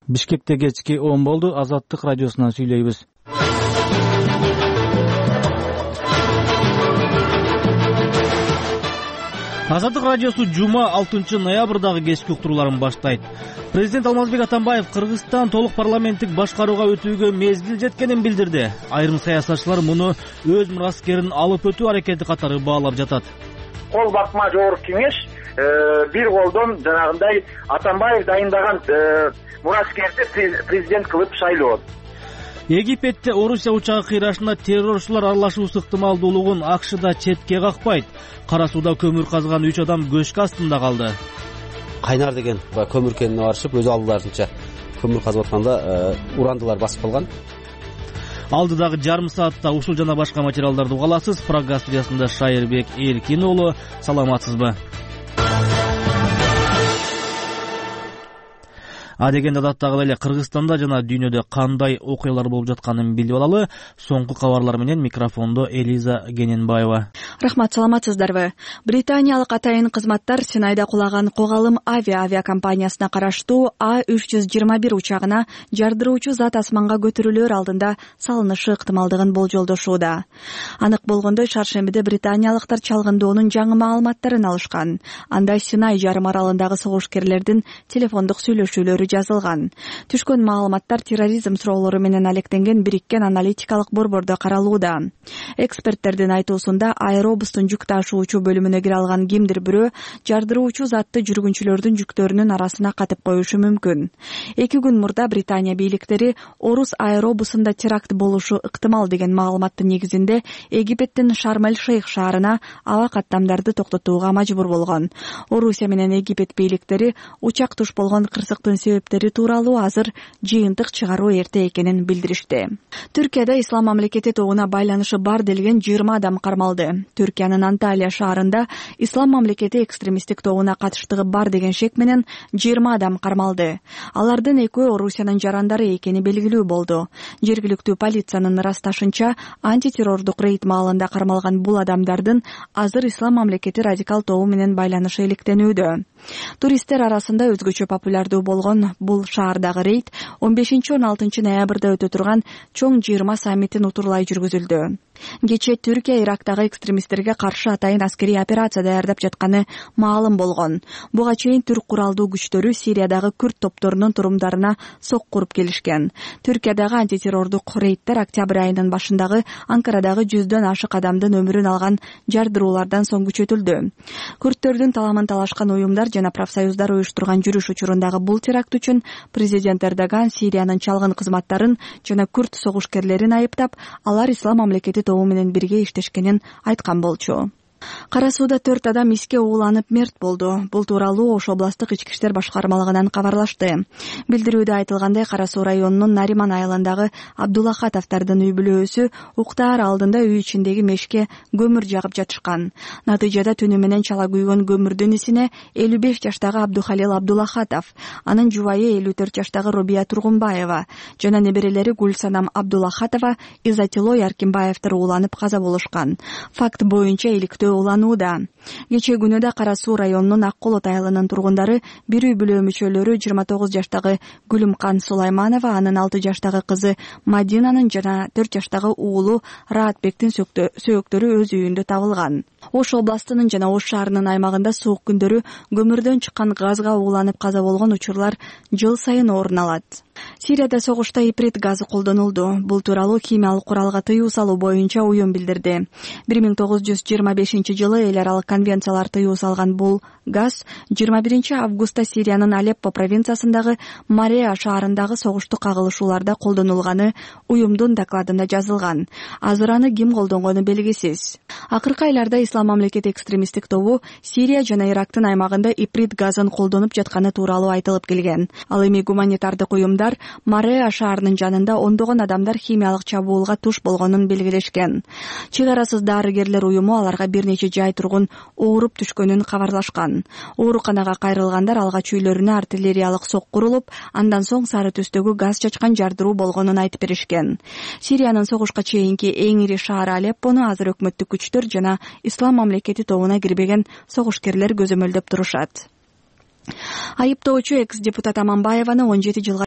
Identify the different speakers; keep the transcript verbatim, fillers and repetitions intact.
Speaker 1: Бишкекте кечки он болду. Азаттык радиосунан сүйлөйбүз. Азаттык радиосу жума алтынчы ноябрдагы кечки уктурууларын баштайт. Президент Алмазбек Атамбаев Кыргызстан толук парламенттик башкарууга өтүүгө мезгил жеткенин билдирди. Айрым саясатчылар муну өз мураскерин алып өтүү аракети катары баалап жатат.
Speaker 2: Кол бакма жогорку кеңеш бир колдон жанагындай Атамбаев дайындаган мураскерди президент кылып шайлоо.
Speaker 1: Египетте Орусия учагы кыйрашына террорчулар аралашуусу ыктымалдуулугун АКШда четке какпайт. Кара сууда көмүр казган үч адам көчкү астында калды.
Speaker 3: Кайнар деген көмүр кенине барышып, өз алдыларынча көмүр казып атканда урандылар басып калган.
Speaker 1: Алдыдагы жарым саатта ушул жана башка материалдарды угаласыз. Программа студиясында Шайырбек Эркин уулу. Саламатсызбы? Адегенде адаттагы эле Кыргызстанда жана дүйнөдө кандай окуялар болуп жатканын билип алалы. Соңку кабарлар менен микрофондо Элиза Гененбаева.
Speaker 4: Рахмат, саламатсыздарбы? Британиялык атайын кызматтар Синайда кулаган Когалым авиа авиакомпаниясына караштуу А үч жүз жыйырма бир учагына жардыруучу зат асманга көтөрүлөр алдында салынышы ыктымалдыгын болжолдошууда. Анык болгондой, шаршембиде британиялыктар чалгындоонун жаңы маалыматтарын алышкан. Анда Синай жарым аралындагы согушкерлердин телефондук сүйлөшүүлөрү жазылган. Түшкөн маалыматтар терроризм суроолору менен алектенген бириккен аналитикалык борбордо каралууда. Эксперттердин айтуусунда аэробустун жүк ташуучу бөлүмүнө кире алган кимдир бирөө жардыруучу затты жүргүнчүлөрдүн жүктөрүнүн арасына катып коюшу мүмкүн. Эки күн мурда Британия бийликтери Орус аэробусунда теракт болушу ыктымал деген маалыматтын негизинде Египеттин Шарм-эль-Шейх шаарына аба каттамдарды токтотууга мажбур болгон. Орусия менен Египет бийликтери учак туш болгон кырсыктын себептери тууралуу азыр жыйынтык чыгаруу эрте экенин билдиришти. Түркияда Ислам мамлекети тобуна байланышы бар делген жыйырма адам кармалды. Түркиянын Анталия шаарында Ислам мамлекети экстремисттик тобуна катыштыгы бар деген шек менен жыйырма адам кармалды. Алардын экөө Орусиянын жарандары экени белгилүү болду. Жергиликтүү полициянын ырасташынча, антитеррордук рейд маалында кармалган бул адамдардын азыр Ислам мамлекети радикал тобу менен байланышы иликтенүүдө. Туристтер арасында өзгөчө популярдуу болгон бул шаардагы рейд он бешинчи он алтынчы ноябрда өтө турган чоң жыйырма саммитин утурлай жүргүзүлдү. Кечээ Түркия Ирактагы экстремисттерге каршы атайын аскерий операция даярдап жатканы маалым болгон. Буга чейин түрк куралдуу күчтөрү Сириядагы күрд топторунун турумдарына сок куруп келишкен. Түркиядагы антитеррордук рейдтер октябрь айынын башындагы Анкарадагы жүздөн ашык адамдын өмүрүн алган жардыруулардан соң күчөтүлдү. Күрдтөрдүн таламын талашкан уюмдар жана профсоюздар уюштурган жүрүш учурундагы бул теракт үчүн президент Эрдоган Сириянын чалгын кызматтарын жана күрд согушкерлерин айыптап, алар Ислам мамлекети тобу менен бирге иштешкенин айткан болчу. Кара сууда төрт адам иске ууланып мерт болду. Бул тууралуу Ош областтык ички иштер башкармалыгынан кабарлашты. Билдирүүдө айтылгандай, Кара суу районунун Нариман айылындагы Абдулахатовдордун үй бүлөөсү уктаар алдында үй ичиндеги мешке көмүр жагып жатышкан. Натыйжада түнү менен чала күйгөн көмүрдүн исине элүү беш жаштагы Абдухалил Абдулахатов, анын жубайы элүү төрт жаштагы Робия Тургунбаева жана неберелери Гүлсанам Абдулахатова, Изатилой Аркимбаевдер ууланып каза болушкан. Факт боюнча иликтөө уланууда. Кечээ күнү да Кара суу районунун Ак Колот айылынын тургундары бир үй бүлө мүчөлөрү жыйырма тогуз жаштагы Гүлүмкан Сулайманова, анын алты жаштагы кызы Мадинанын жана төрт жаштагы уулу Раатбектин сөөктөрү өз үйүндө табылган. Ош областынын жана Ош шаарынын аймагында суук күндөрү көмүрдөн чыккан газга ууланып каза болгон учурлар жыл сайын орун алат. Сирияда согушта иприт газы колдонулду. Бул тууралуу химиялык куралга тыюу салуу боюнча уюм билдирди. бир миң тогуз жүз жыйырма бешинчи жылы эл аралык конвенциялар тыюу салган бул газ жыйырма биринчи августта Сириянын Алеппо провинциясындагы Мареа шаарындагы согуштук кагылышууларда колдонулганы уюмдун докладында жазылган. Азыр аны ким колдонгону белгисиз. Акыркы айларда Ислам мамлекети экстремисттик тобу Сирия жана Ирактын аймагында иприт газын колдонуп жатканы тууралуу айтылып келген. Ал эми гуманитардык уюмдар Мареа шаарынын жанында ондогон адамдар химиялык чабуулга туш болгонун белгилешкен. Чек арасыз дарыгерлер уюму аларга бир нече жай тургун ооруп түшкөнүн кабарлашкан. Ооруканага кайрылгандар алгач үйлөрүнө артиллериялык сок курулуп, андан соң сары түстөгү газ чачкан жардыруу болгонун айтып беришкен. Сириянын согушка чейинки эң ири шаары Алеппону азыр өкмөттүк күчтөр жана Ислам мамлекети тобуна кирбеген согушкерлер көзөмөлдөп турушат. Айыптоочу экс-депутат Аманбаеваны он жети жылга